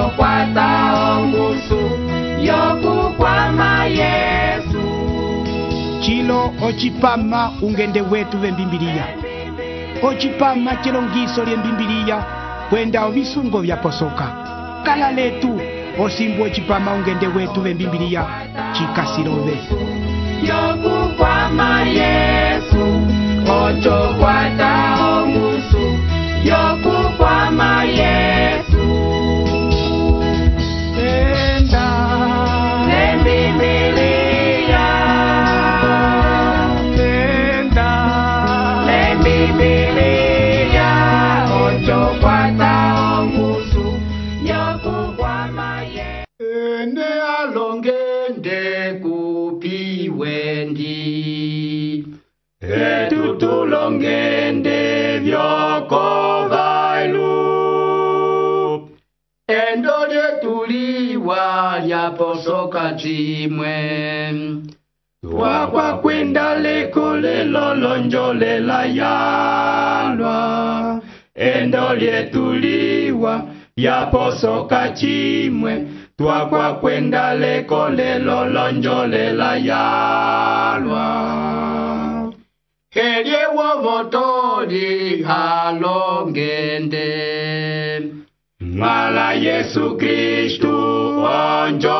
kwata ongusu yokukwama Yesu. Chilo ochipama ungende wetu vembimbilia. Ochipama chilongiso lyembimbilia kwenda ovisungo vyaposoka. Kala letu osimbu ochipama ungende wetu vembimbilia chikasirove. Yokukwama Yesu, ocho kwata ongusu yokukwama Yesu. Enda Lembimbilia, enda Lembimbilia, ocho kwata ongusu yokukwama Yesu. Ene alongende kupiwendi, etutulongende vyokovailu. Endo lyetuliwa lyaposoka chimwe, twakwa kwenda leko lelo lonjolela yalwa. Endo lyetuliwa lyaposoka chimwe, twakwa kwenda leko lelo lonjolela yalwa. Elye wovotoli halongende, mala Yesu Kristu onjovoli.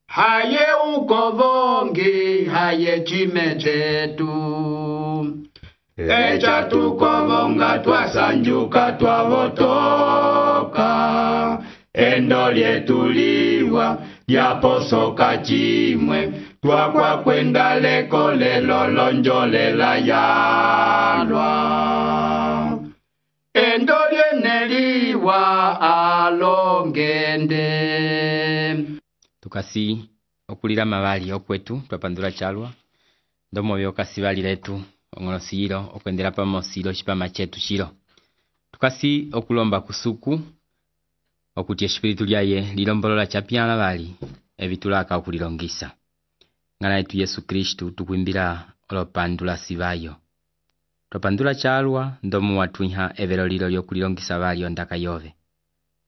Haye ukovongi haye chime chetu, echa tukovonga twasanjuka twavotoka. Endo lyetuliwa lyaposoka chimwe, twakwa kwenda leko lelo lonjolela yalwa. Endo lyeneliwa alongende. Tukasi okulira mabali okwetu twapandula chalwa ndomo byokasi bali letu ongolosiro okwendera pamosiro chipama chetu chiro. Tukasi okulomba kusuku okuti espiritu lyaye lilombolola chapyana bali ebitulaka okulilongisa. Ngana yetu Yesu Kristu tukwimbira olopandula sibayo. Twapandula chalwa ndomo watwiha evero lilo lyokulilongisa bali ondaka yove.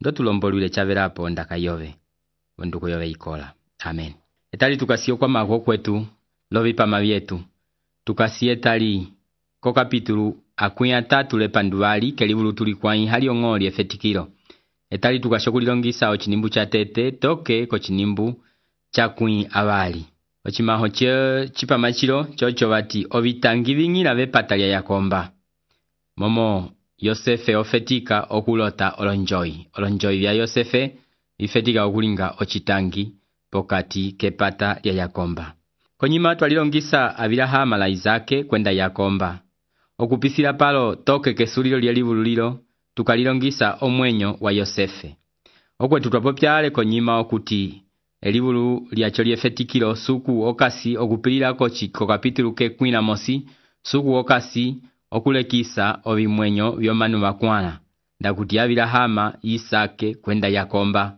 Ndo tulombolwile chaverapo ondaka yove. Onduko yove ikola. Amen. Etali tukasi okwa mago kwetu lovipama byetu. Tukasi etali ko kapitulu akuya tatu lepandubali kelibulu tulikwai hali ongoli efetikiro. Etali tukashokulilongisa ochinimbu cha tete toke ko chinimbu cha kui abali. Ochimaho chipama chiro chocho bati obitangi bingila bepatalia yakomba. Momo Yosefe ofetika okulota olonjoi. Olonjoi bya Yosefe ifetika okulinga ochitangi pokati kepata lya yakomba. Konyima twalilongisa Abilahama la Isake kwenda yakomba. Okupisila palo toke kesulilo lya libululilo tukalilongisa omwenyo wa Yosefe. Okwetu twapopyale konyima okuti elibulu lyacho lyefetikilo suku okasi okupilila ko kapitulu ke kwina mosi suku okasi okulekisa obimwenyo byomanu bakwana ndakuti Abilahama Isake kwenda yakomba.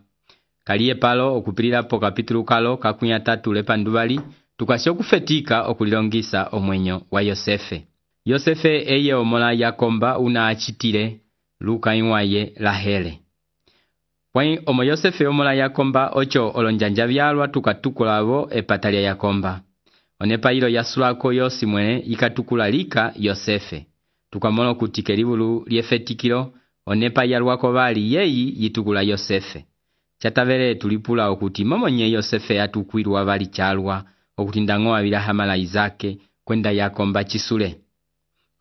Kaliye palo okupilila po kapitulu kalo kakunya tatu lepandubali tukasi okufetika okulilongisa omwenyo wa Yosefe. Yosefe eye omola yakomba una achitile luka inwaye Rahele. Kwai omo Yosefe omola yakomba ocho olonjanja byalwa tukatukulabo epatalia yakomba. Onepa ilo yasulako yosi mwene ikatukula lika Yosefe. Tukamono kutike libulu lyefetikilo onepa yalwako bali yeyi yitukula Yosefe. Chatavere tulipula okuti momonye Yosefe atukwirwa bali chalwa okuti ndango Abilahama la Isake kwenda yakomba chisule.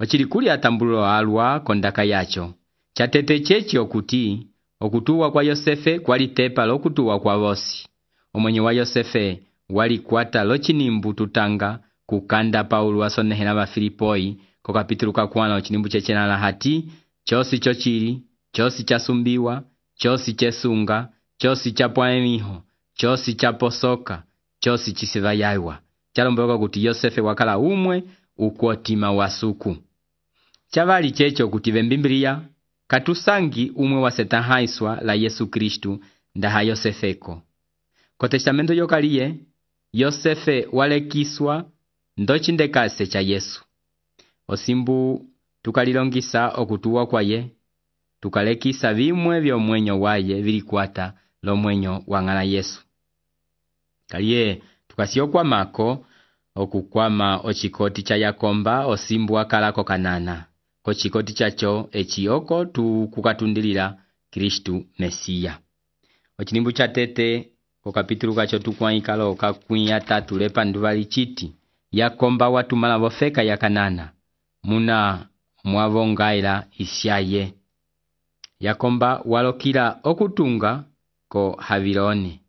Ochilikuli atambulo alwa kondaka yacho. Chatete chechi okuti okutuwa kwa Yosefe kwali tepa lokutuwa kwa bosi. Omwenye wa Yosefe wali kwata lochinimbu tutanga kukanda Paulo wasonehela ba Filipoi ko kapitulu kakwana ochinimbu chechena la hati chosi chochiri, chosi chasumbiwa, chosi chesunga, chosi chapwaemiho, chosi chaposoka, chosi chisivayaiwa. Chalomboloka kuti Yosefe wakala umwe ukwotima wasuku. Chavali checho kuti vembimbilia katusangi umwe wa setahaiswa la Yesu Kristu ndaha Yosefeko. Ko testamento yokaliye Yosefe walekiswa ndochindekase cha Yesu. Osimbu tukalilongisa okutuwa kwa ye tukalekisa bimwe byomwenyo waye bilikwata lomwenyo wang'ala Yesu. Kaliye tukasyokwamako okukwama ochikoti cha Yakomba osimbwa kalako kanana. Kochikoti chacho echioko tukukatundilila Kristu Mesiya. Ochinimbu cha tete ko kapitulu kacho tukwaikalo kakwiya tatu lepa nduvali chiti Yakomba watumala bofeka ya kanana muna mwavongaila isyaye. Yakomba walokila okutunga ko Haviloni.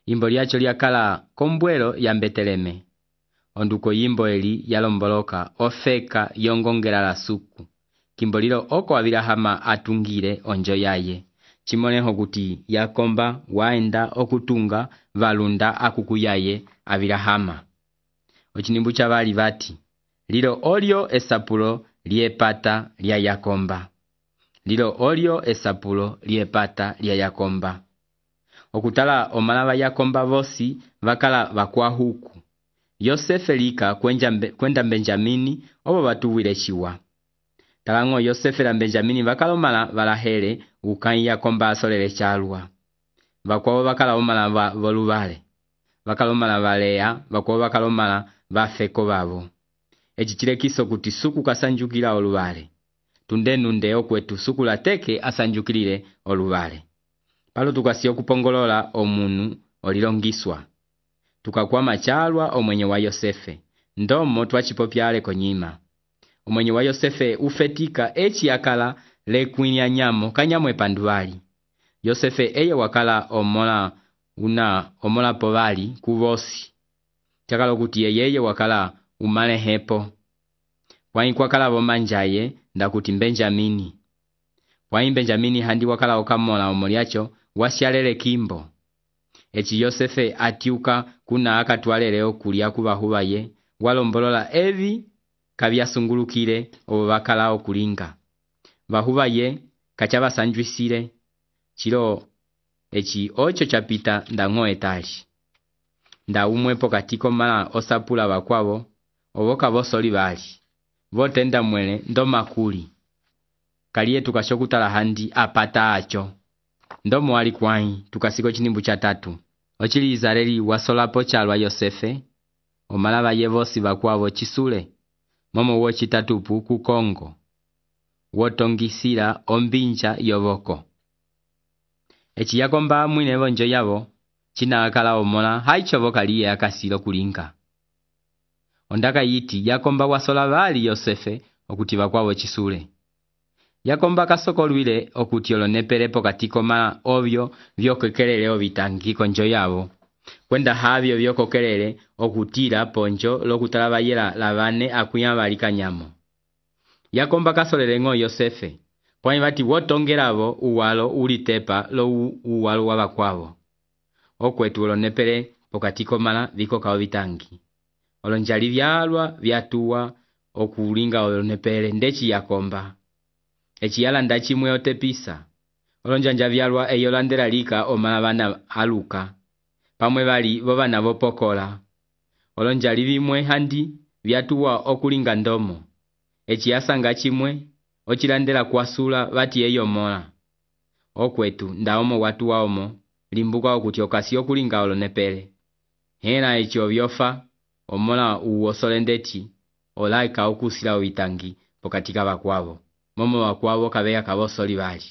Yimbo lyacho lyakala kombwelo ya Beteleme. Onduko yimbo eli yalomboloka ofeka yongongela la suku. Kimbolilo oko Abilahama atungile onjo yaye. Chimoneho kuti Yakomba waenda okutunga valunda akukuyaye Abilahama. Ochinimbu cha bali bati lilo olyo esapulo liepata lya Yakomba. Lilo olyo esapulo liepata lya Yakomba. Okutala omalava Yakomba vosi vakala vakwahuku. Yosefe lika kwenda Benjamini obo batuwile chiwa. Talango Yosefe la Benjamini vakalomala valahere ukai Yakomba asolele chalwa. Vakwawo vakala omala voluvale. Vakalomala valea, vakwawo vakalomala vafeko babo. Echichilekiso kuti suku kasanjukila oluvale. Tundenunde okwetu suku la teke asanjukilile oluvale. Palo tukasiyo kupongolola omunu olilongiswa. Tukakwama chalwa omwenye wa Yosefe. Ndomo twachipopyale konyima. Omwenye wa Yosefe ufetika echi yakala lekwinya nyamo kanyamwe panduwali. Yosefe eye wakala omola povali kuvosi. Chakalo kuti yeye wakala umale hepo. Kwai kwakala vomanjaye ndakuti Benjamini. Kwai Benjamini handi wakala okamola omoliacho wasyalele kimbo. Echi Yosefe atiuka kuna akatwalele okulia kubahubaye walombolola evi kabyasungulukile obakala okulinga. Bahubaye kachaba sanjwisile chilo echi ocho chapita ndango etali. Nda umwepo katiko mala osapula bakwabo oboka bosoli bali. Votenda mwele ndo makuli. Kaliye tukashokutala handi apata acho. Ndomo wali kwai tukasiko chinimbu cha tatu. Ochili Izareli wasolapo chalwa Yosefe. Omalava yevosi bakwabo chisule. Momo wochi tatupu ku Kongo. Wotongisila ombinja yovoko. Echi Yakomba mwine vonjo yavo. China akala omola haichovo kaliye akasilo kulinga. Ondaka yiti Yakomba wasola bali Yosefe okuti bakwabo chisule. Yakomba kasokolwile okuti olonepelepo katiko mala ovyo vyokekelele obitangi konjo yavo. Kwenda havyo vyokokelele okutila ponjo lokutalaba yela labane akuyabalika nyamo. Yakomba kasolele ngo Yosefe. Pwani bati wotongelavo uwalo ulitepa lo uwalo wabakwavo. Okwetu olonepele pokatiko mala viko kaobitangi. Olonjali vyalwa vyatuwa okulinga olonepele ndechi Yakomba. Echi yalanda chimwe otepisa. Olonjanja vyalwa eyolandela lika omalabana aluka. Pamwe bali bobana bopokola. Olonjali bimwe handi vyatuwa okulinga ndomo. Echi yasanga chimwe ochilandela kwasula bati eyomola. Okwetu ndaomo watu waomo limbuka okuti okasi okulinga olonepele. Hena echi obyofa omola uwosolendeti olaika okusila obitangi pokatika bakwabo. Momo bakwabo kabeya kabosoli bali.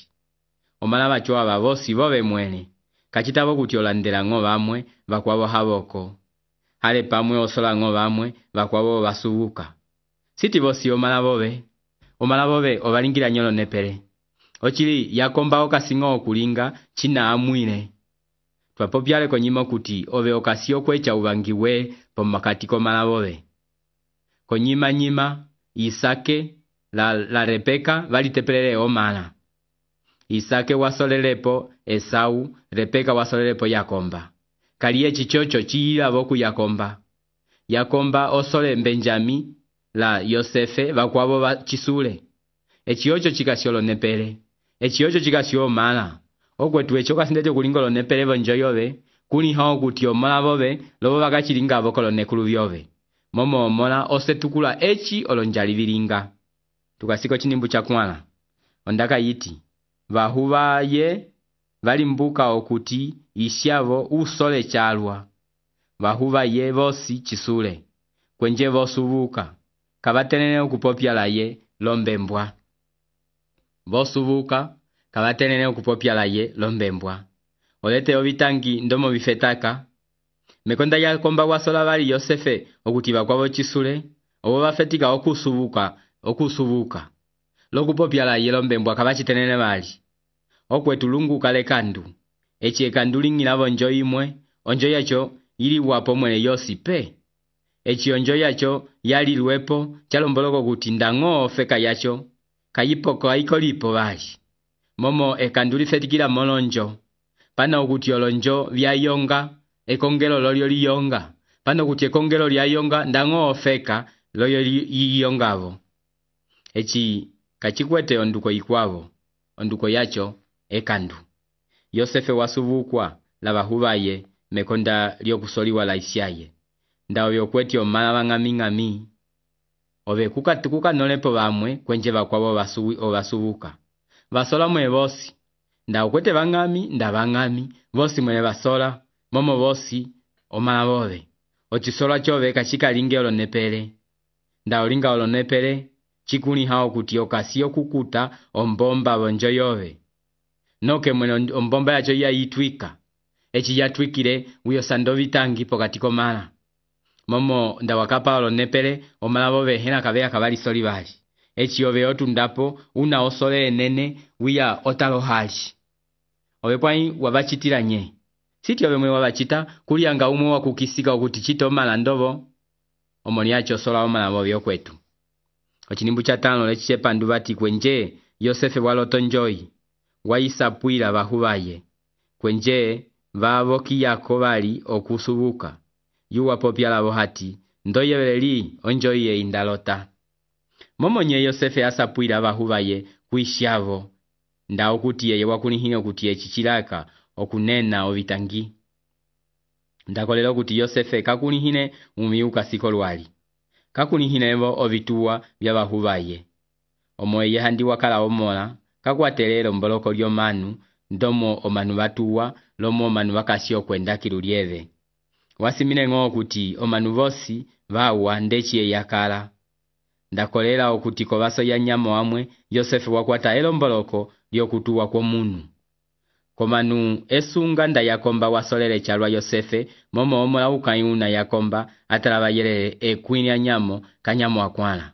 Omalaba chowa babosi bobe mwene. Kachitabo kuti olandela ngo bamwe bakwabo haboko. Hale pamwe osola ngo bamwe bakwabo basubuka. Siti bosi omalabobe obalingira nyolo nepele. Ochili Yakomba okasingo okulinga china amwine. Twapopyale konyima kuti obe okasio kwecha ubangiwe pomakatiko malabobe. Konyima nyima Isake la Rebeka valitepelele omala. Isake wasolelepo Esau, Rebeka wasolelepo Yakomba. Kaliye chichocho chiyila boku Yakomba. Yakomba osole Benjami la Yosefe bakwabo chisule. Echiocho chikasiolo nepele. Echiocho chikasio mala. Okwetu echo kasindecho kulingolo nepele bonjoyobe. Kuni hao kuti omola bobe lobo bakachilinga bokolo nekulu byobe. Momo omola osetukula echi olonjali bilinga. Tukasiko chinimbu cha kwana. Ondaka yiti. vahuvaye valimbuka okuti isyavo usole chalwa. Vahuvaye vosi chisule, kwenje vosuvuka, kavatenene okupopyalaye lombembwa. Vosuvuka, kavatenene okupopyalaye lombembwa. Olete ovitangi ndomo vifetaka. Mekonda Yakomba wasola vali Yosefe okuti vakwavo chisule, obo vafetika okusuvuka. Lokupopyalaye lombembwa kavachitenene vali. Okwetu lungu kale kandu. Echi ekandu lingilavo onjo imwe, onjo yacho ili wapo mwene yosi pe. Echi onjo yacho yali luepo, chalomboloko kuti ndango ofeka yacho, kayipoko aikolipo vali. Momo ekandu lifetikila molonjo. Pano kuti olonjo vyayonga, ekongelo lolyo liyonga. Pano kuti ekongelo lyayonga, ndango ofeka lolyo liyongavo. Echi kachikwete onduko ikwavo, onduko yacho ekandu. Yosefe wasuvukwa la vahuvaye mekonda lyokusoliwa la isyaye. Ndao yokweti omala vang'ami. Ove kuka nolepo vamwe kwenje vakwavo ovasuvuka. Vasola mwe vosi. Ndao kwete vang'ami, nda vang'ami. Vosi mwene vasola, momo vosi omala vove. Ochisola chove kachika linge olonepele. Ndao linga olonepele, chikuni hao kuti okasiyo kukuta ombomba vonjo yove. Noke mwene ombomba yacho ya itwika. Echi yatwikile uyo sandovitangi pokatiko mala. Momo ndawakapa olonepele, omala vove hena kavea kavali soli vali. Echi ove otundapo, una osole enene, uya otalo hali. Ove pwai wabachitila nye. Siti ove mwe wabachita, kulianga umwe wakukisika okuti chito mala ndovo. Omoni yacho sola omala vove okwetu. Ochinimbu cha 5 lechiche pandu vati kwenje, Yosefe waloto njoi. Waisapwila vahuvaye. Kwenje, vavoki yako vali okusuvuka. Yuwa popyala vohati, ndoyeveli onjoiye indalota. Momonye Yosefe asapwila vahuvaye kuisyavo. Ndao kuti yeye wakunihine okuti echichilaka okunena ovitangi. Ndakolelo kuti Yosefe kakunihine umiuka siko lwali. Kakunihine evo ovituwa vya vahuvaye. Omoye handi wakala omola, kakwatelelo mboloko lyo manu, ndomo omanu vatuwa, lomo omanu vakasio kwenda kilulieve. Wasimine ng'o kuti omanu vosi vawa ndechiye yakala. Ndakolela okuti kovaso ya nyamo amwe, Yosefe wakwata elomboloko lyokutuwa kwa munu. Komanu esunga nda Yakomba wasolele chalwa Yosefe, momo omola ukayuna Yakomba atalava yelele ekwini ya nyamo kanyamo akwala.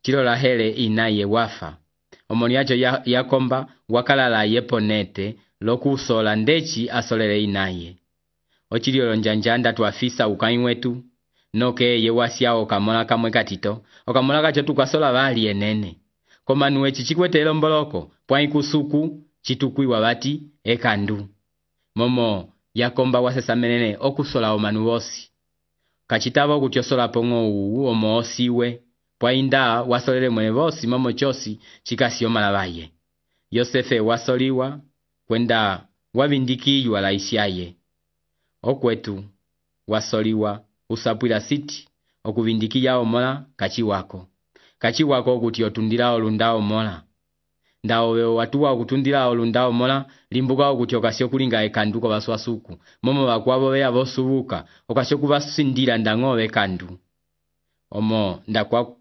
Chilola hele inaye wafa. Omoni yacho Yakomba wakalala yeponete lokusola ndechi asolele inaye. Ochiliolo njanjanda tuafisa ukaiwetu. Noke ye wasya okamola kamwe katito. Okamola kacho tukasola vali enene. Komanu echichikwete elomboloko, pwai kusuku, chitukui wabati, ekandu. Momo Yakomba wasesa menene okusola omanu vosi. Kachitavo kutiosola pongo uu omo osiwe. Pwai nda wasolele mwene vosi momo chosi chikasi omalavaye. Yosefe wasoliwa kwenda wavindikiywa la isyaye. Okwetu wasoliwa usapwila siti okuvindikiya omola kachiwako. Kachiwako kuti otundila olundao mola. Ndao watuwa okutundila olundao mola limbuka okuti okasio kulinga ekandu baswasuku. Momo wakwavo vea vosuvuka okasio kuvasindila ndangove kandu. Omo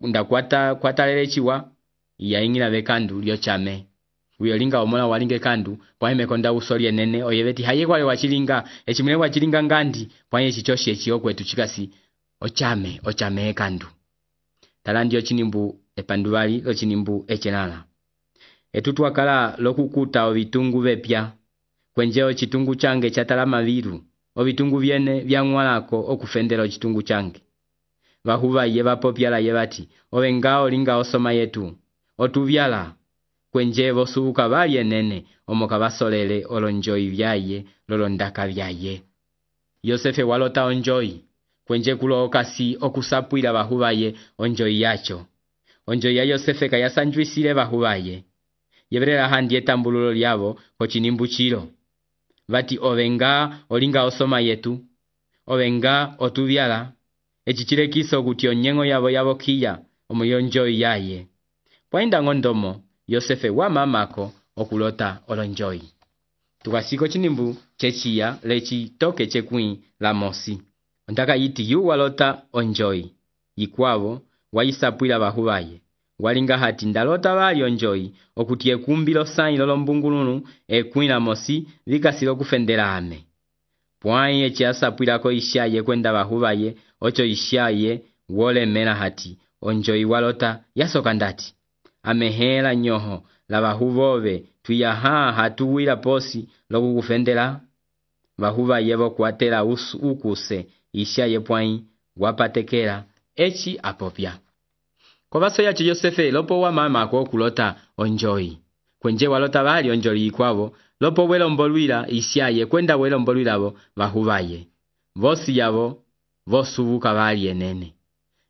ndakwata chiwa ya ingila vekandu lyo chame. Uyolinga omola walinge kandu pwaime konda usoli enene oyeveti haye kwale wachilinga echimune wachilinga ngandi pwaime chichoshi echiokwetu chikasi ochame kandu. Talandi ochinimbu epanduvali lo chinimbu echenala. Etutu wakala lokukuta ovitungu vepya. Kwenjeo chitungu change chatala maviru. Ovitungu viene vyangwalako okufendela chitungu change. Vahuva yeva popyala yevati. Ovengao linga osoma yetu. Otuvyala. Kwenje vosuvuka vali enene. Omoka vasolele olonjoi vyaye. Lolondaka vyaye. Yosefe walota onjoi. Kwenje kulo okasi okusapwila vahuvaye onjoi yacho. Onjoi ya Yosefe kayasanjwisile vahuvaye. Yeverela handi etambululo lyavo kochinimbu chilo. Vati ovenga olinga osoma yetu. Ovenga otuvyala. Echichile kiso kuti onyengo yavo kia omuyonjoi yaye. Pwainda ngondomo Yosefe wa mamako okulota olonjoyi. Tukasiko chinimbu chechiya lechi toke chekwin la mosi. Ondaka yiti yu walota onjoyi. Yikwavo wayisapwila bahubaye. Walinga hati ndalota bali onjoyi okuti ekumbilo sayi lolombungulunu ekwin la mosi vikasilo kufendela ame. Pwai echi asapwilako ishaye kwenda bahubaye ocho ishaye wole mena hati onjoyi walota yasoka ndati. Amehela nyoho la bahubove tuyaha hatuwila posi loku kufendela. Bahubaye bo kuatela ukuse ishaye pwai wapatekela echi apopya. Kwa baso yacho Yosefe lopo wa mama kwa kulota onjoyi. Kwenje walota bali onjoyi ikwavo lopo welo mbolwila ishaye kwenda welo mbolwila bo bahubaye. Vosi yabo vosubuka bali enene.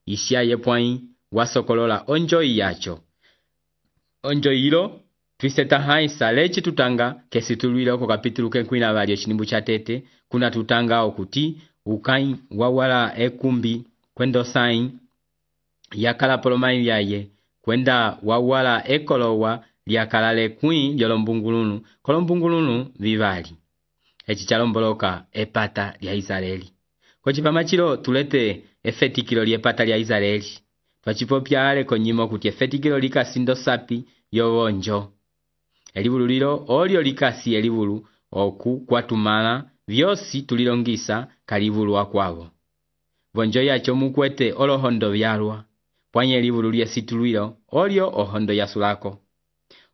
Ishaye pwai wasokolola onjoyi yacho. Onjoyi ilo twiseta haisa lechi tutanga kesi tulwile oko kapitulu kenkwina bali echinimbu cha tete kuna tutanga okuti ukai wawala ekumbi kwendo sain yakala polomai yaye kwenda wawala ekolowa lyakalale kwin lyolombungulunu kolombungulunu vivali. Echi chalomboloka epata lya Israeli. Kochipama chilo tulete efetikilo lyepata lya Israeli. Twachipopyale konyimo kuti efetikilo likasindo sapi yobonjo. Elibulu lilo olio likasi elibulu oku kwatumala vyosi tulilongisa kalibulu wakwavo. Bonjo yacho mukwete olohondo vyalwa. Pwanye elibulu lyesitulwilo olio ohondo yasulako.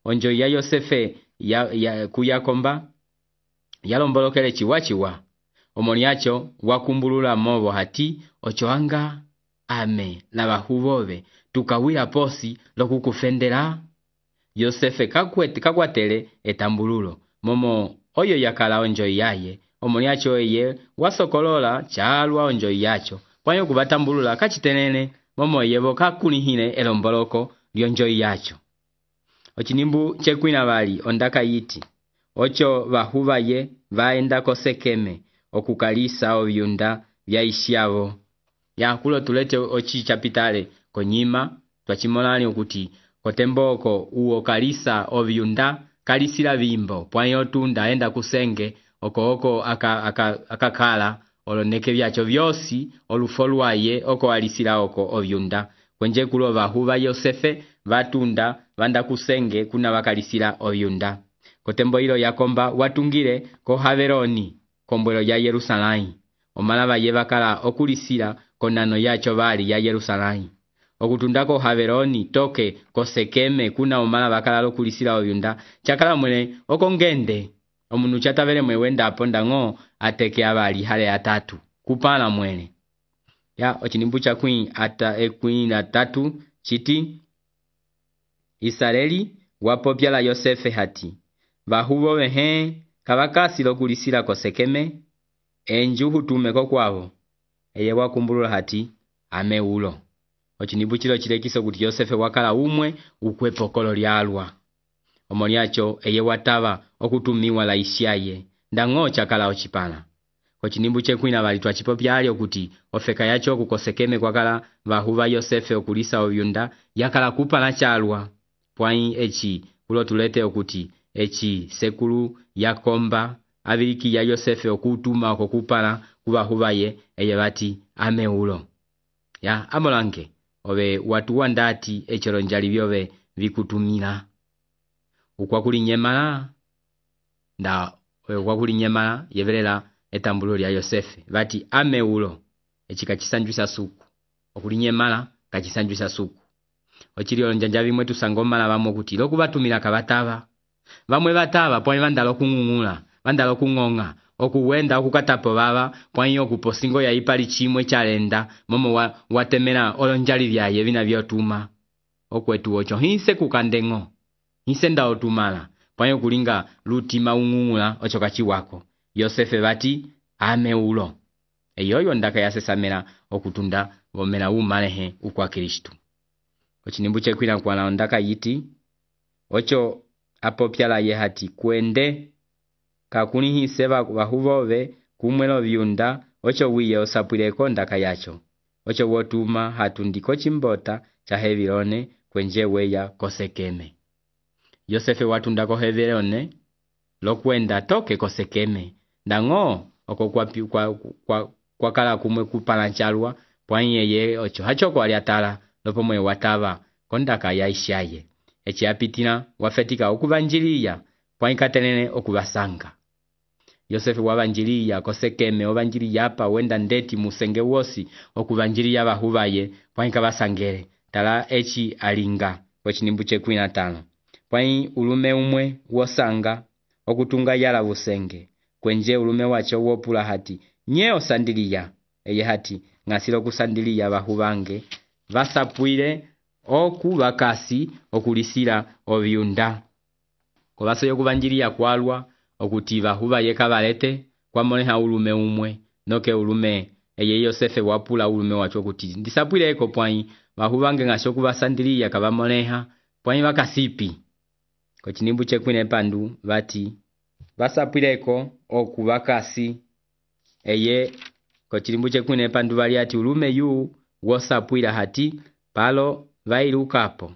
Onjo ya Yosefe kuyakomba yalombolokele chiwachiwa. Omoni yacho wakumbulula mobo hati ochoanga ame na bahubove tukawila posi lokukufendela. Yosefe kakwatele etambululo momo oyo yakala onjoyi yaye. Omoni yacho eye wasokolola chalwa onjoyi yacho pwanyo kubatambulula kachitenene momo yebo kakunihine elomboloko lyonjoyi yacho. Ochinimbu chekwina bali ondaka yiti ocho bahubaye vaenda kosekeme okukalisa obyunda bya ishyavo. Ya kulo tulete ochi chapitale konyima twachimolani okuti kotemboko uo kalisa obyunda kalisila bimbo pwanyo tunda enda kusenge oko akakala oloneke byacho byosi olufolwaye oko alisila oko obyunda. Kwenje kulo bahuba Yosefe batunda banda kusenge kuna bakalisila obyunda. Kotembo hilo yakomba watungile ko Haveroni kombwelo ya Yerusalai. Omalaba yebakala okulisila konano yacho bali ya Yerusalai. Okutundako Haveroni toke kosekeme kuna omalaba kala okulisila obyunda. Chakala mwene okongende. Omunu chatavele mwewenda aponda ngo ateke abali hale atatu. Kupala mwene. Ya ochinimbu cha kwin ata ekwin atatu chiti Israeli wapopya la Yosefe hati. Bahubo behe kabakasi lokulisila kosekeme enjuhu tumeko kwavo. Eye wakumbulula hati ameulo. Ochinimbu chilo chilekiso kuti Yosefe wakala umwe ukwepokolo lyalwa. Omoni yacho eye watava okutumiwa la isyaye ndango chakala ochipana. Ochinimbu chekwina bali twachipopyali okuti ofeka yacho kukosekeme kwakala bahuba Yosefe okulisa obyunda yakala kupana chalwa. Pwai echi kulo tulete okuti echi sekulu yakomba abiliki ya Yosefe okutuma okupana kubahubaye eye bati ameulo. Ya amolange obe watu wandati echilonjali byobe vikutumila. Ukwakuli nyemala nda ukwakuli nyemala yevelela etambulo lya Yosefe bati ameulo echikachisanjwisa suku okuli nyemala kachisanjwisa suku. Ochilio njanja bimwe tusangomala bamwe kuti lokubatumila kabataba bamwe bataba pwa bandalo kungungula bandalo kungonga okuwenda okukatapo baba pwanyo okuposingo ya ipali chimwe chalenda momo watemera olonjali byaye bina byotuma okwetu ocho hinse kukandengo hinse nda otumala pwanyo kulinga lutima ungungula ocho kachiwako. Yosefe bati ameulo eyoyo ndaka yasesamera okutunda bomera umalehe ukwa Kristo. Ochinimbu chekwina kwa ondaka yiti ocho apopyala ye hati kwende kakuni hiseba bahubove kumwelo byunda ocho wiye osapwileko ndaka yacho ocho wotuma hatundiko chimbota cha Hevilone kwenje weya kosekeme. Yosefe watundako heverone lokwenda toke kosekeme ndang'o oko kwa kala kumwe kupala nchalwa pwani yeye ocho hachoko aliatala lopomwe watava kondaka ya ishaye echi apitina wafetika okuvanjiliya pwani katelene okuvasanga. Yosefe wavanjiliya kosekeme ovanjiliya apa wenda ndeti musenge wosi okuvanjiliya bahubaye pwani kabasangere tala echi alinga kochinimbu che 15 pwani ulume umwe wosanga okutunga yala busenge kwenje ulume wacho wopula hati nyeo sandiliya eye hati ngasilo kusandiliya bahubange basapwile oku bakasi okulisira obyunda kobaso yokuvanjiliya kwalwa okuti bahubaye kabalete kwamoneha ulume umwe noke ulume eye Yosefe wapula ulume wacho kuti ndisapwile eko pwani bahubange ngasho kubasandiliya kabamoneha pwani bakasipi kochinimbu che 14 pandu bati basapwileko okubakasi eye kochilimbu che 14 pandu bali ati ulume yu wosapwila hati palo vailukapo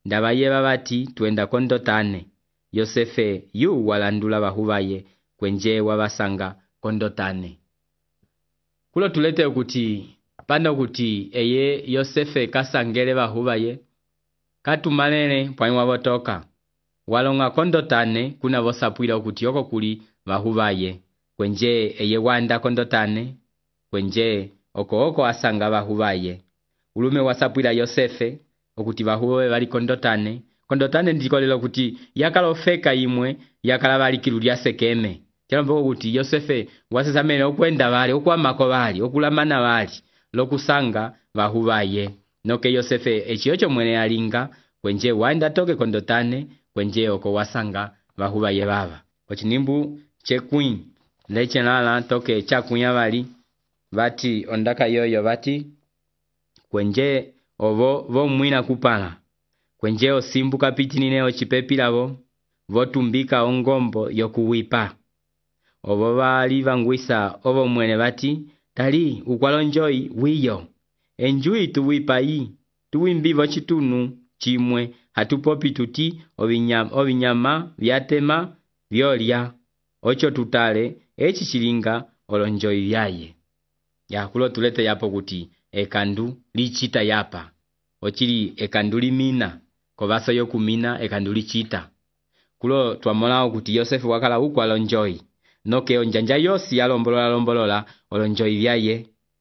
ndabaye babati twenda kondotane Yosefe yu walandula bahubaye kwenje wabasanga kondotane kulo tulete ukuthi panda kuti eye Yosefe kasangele bahubaye katumalele pwani wabotoka walonga kondotane kuna bosapwila ukuthi yoko kuli bahubaye kwenje eye wanda kondotane kwenje oko asanga bahubaye ulume wasapwila Yosefe okuti bahubaye bali kondotane ndikolelo kuti yakalofeka imwe yakala bali kilulya sekeme kyalombo kuti Yosefe wasesamene okwenda bali okwamako bali okulamana bali lokusanga bahubaye noke Yosefe echiyocho mwene alinga kwenje wanda toke kondotane kwenje oko wasanga bahubaye baba ochinimbu che Queen lechenala toke chakunya bali bati ondaka yoyo bati kwenje obo bomwina kupala kwenje osimbuka pitinine ochipepilabo votumbika ongombo yokuwipa obo bali bangwisa obo mwene bati tali ukwalonjoi wiyo enjui tuwipai tuwimbivo chitunu chimwe hatupopi tuti obinyama byatema byolya ocho tutale echi chilinga olonjoi byaye yakulo tulete yapo kuti ekandu lichita yapa ochili ekandu limina kobaso yokumina ekandu lichita kulo twamolao kuti Yosefe wakala ukwalonjoi noke onjanja yosi yalombolola olonjoi byaye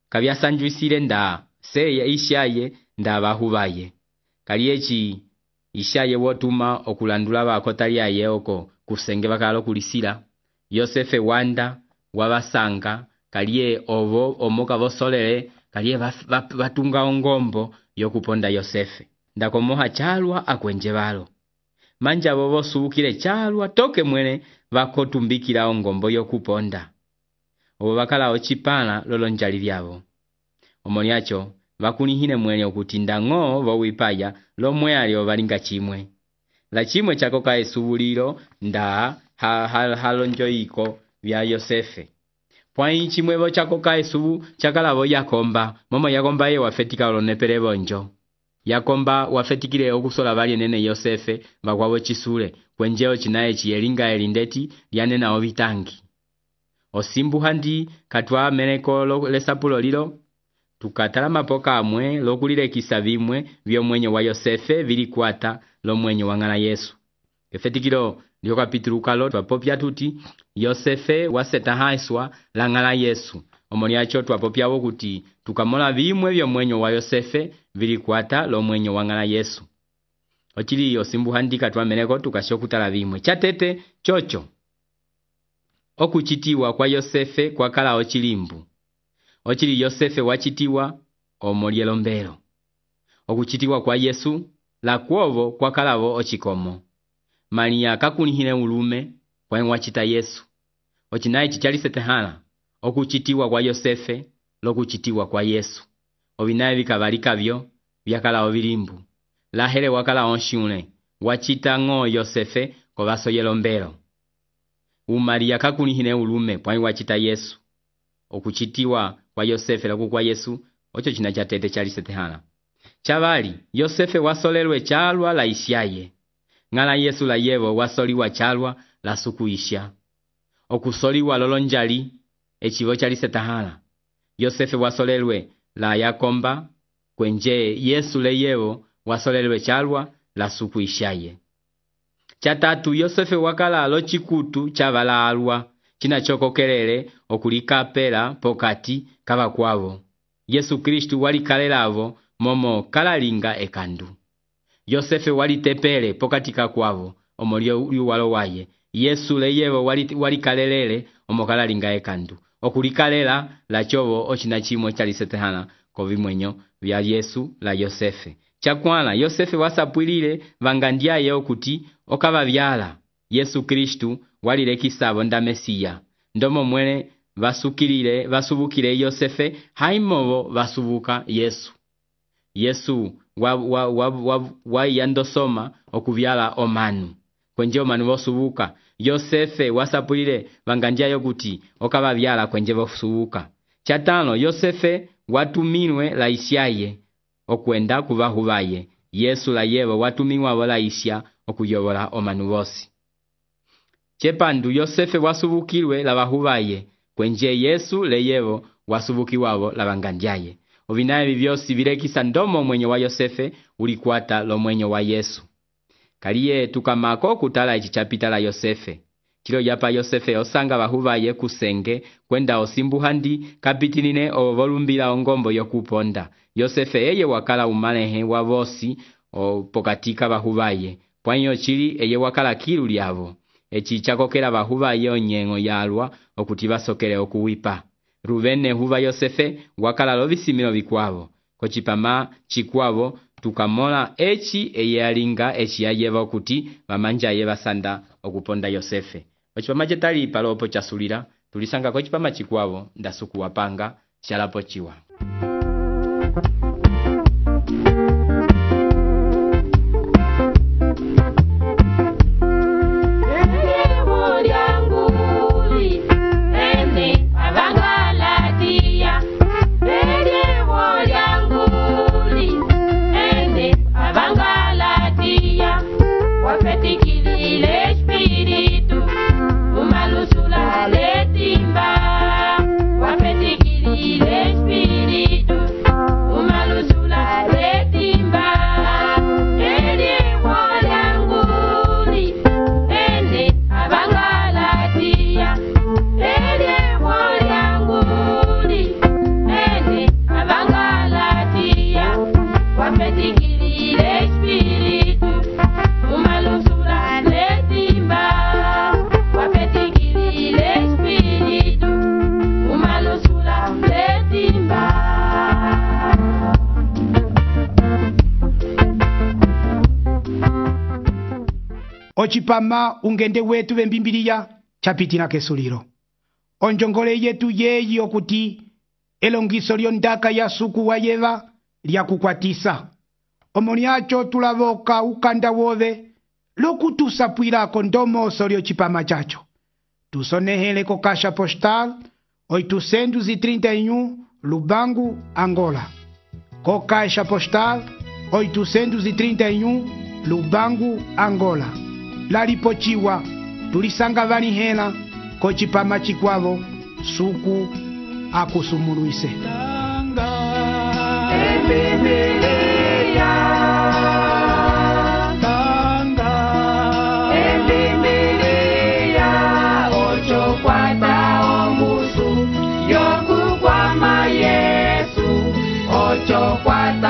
kabyasanjwisile nda seye ishaye nda bahubaye kali echi ishaye wotuma okulandula bakota lyaye oko kusenge bakalo kulisira Yosefe wanda wabasanga kaliye obo omoka bosolele kaliye batunga ongombo yokuponda Yosefe ndakomoha chalwa akwenje balo manja bobo subukile chalwa toke mwene bakotumbikira ongombo yokuponda obo bakala ochipana lolonjali lyabo omoniacho bakunihine mwene okutinda ng'o bowipaya lomwe alio balinga chimwe la chimwe chako ka esubuliro nda halonjoiko bya Yosefe pwani chimwe bo chako ka esubu chakalabo yakomba momo yakomba ye wafetika olonepele bonjo yakomba wafetikile okusola bali nene Yosefe bakwabo chisule kwenjeo chinaye chiyelinga elindeti lyanena obitangi osimbu handi katwa meneko lesapulo lilo tukatala mapoka amwe lokulile kisabimwe byomwenye wa Yosefe bilikwata lomwenye wangana Yesu efetikilo ndio kapitulu kalo twapopya tuti Yosefe wasetahaiswa langala Yesu omoniacho twapopyawo kuti tukamola bimwe byomwenye wa Yosefe bilikwata lomwenye wangana Yesu ochili osimbu handika twameneko tukashokutala bimwe chatete chocho okuchitiwa kwa Yosefe kwa kala ochilimbu ochili Yosefe wachitiwa omolyelombelo okuchitiwa kwa Yesu la kwovo kwa kalavo ochikomo Maria kakunihine ulume kwa wachita Yesu ochinaye chichali setehala okuchitiwa kwa Yosefe lokuchitiwa kwa Yesu obinaye bikabalika byo byakala obilimbu lahele wakala onshune wachita ng'o Yosefe kobaso yelombelo Maria kakunihine ulume kwa wachita Yesu okuchitiwa kwa Yosefe loku kwa Yesu ocho china chatete chali setehala chabali Yosefe wasolelwe chalwa la isyaye ng'ala Yesu la yevo wasoliwa chalwa la sukuisha. Okusoliwa lolonjali, echivo chali setahala. Yosefe wasolelwe la yakomba, kwenje Yesu le yevo wasolelwe chalwa la sukuishaye. Chatatu, Yosefe wakala lo chikutu chavala alwa, china choko kelele okulikapela pokati kava kwavo. Yesu Kristu walikalelavo momo kalalinga ekandu. Yosefe walitepele pokati kakwavo omolio yuwalo waye. Yesu le yevo walikalelele omokalalinga ekandu. Okulikalela la chovo ochina chimwe chalisetehana kovimwenyo vya Yesu la Yosefe. Chakwana, Yosefe wasapwilile vangandiaye okuti okava vyala. Yesu Kristu walilekisavo nda Mesiya. Ndomo mwene vasubukile Yosefe haimovo vasubuka Yesu. Yesu yandosoma okuvyala omanu. Kwenje omanu vosubuka. Yosefe wasapulile vangandiaye okuti okava vyala kwenje vosubuka. Chatano, Yosefe watuminwe la isyaye okwenda kuvahuvaye. Yesu la yevo watuminwa vola isya okuyobola omanu vosi. Chepandu, Yosefe wasubukilwe la vahuvaye kwenje Yesu le yevo wasubukiwavo la vangandiaye. Ovinaye vivyosi vilekisa ndomo mwenyo wa Yosefe ulikuata lo mwenyo wa Yesu. Kaliye tukamako kutala echichapita la Yosefe. Chilo yapa Yosefe osanga vahuvaye kusenge kwenda osimbuhandi kapitinine ovolumbila ongombo yokuponda. Yosefe eye wakala umalehe wa vosi pokatika vahuvaye. Pwanyo chili eye wakala kilu lyavo. Echi chakokela vahuvaye onyengo yalwa okuti basokele okuwipa. Ruvene huva Yosefe wakala lovisimilo vikwavo. Kochipama chikwavo tukamola echi eye alinga echi yayeva okuti vamanja ye basanda okuponda Yosefe. Ochipama chetali palopo chasulira tulisanga kochipama chikwavo ndasuku wapanga chalapo chiwa. Ochipama ungende wetu vembimbilia chapitina kesuliro. Onjongole yetu yeyi okuti elongiso lyondaka ya suku wa yeva lya kukwatisa. Omoniacho tulavoka ukanda wove lokutusapwilako ndomoso lyo chipama chacho. Tusonehele ko kasha postal 831 Lubangu, Angola. Ko kasha postal 831 Lubangu, Angola. Lalipochiwa tulisanga vani hela ko chipama chikwavo suku akusumuluise. Ocho kwata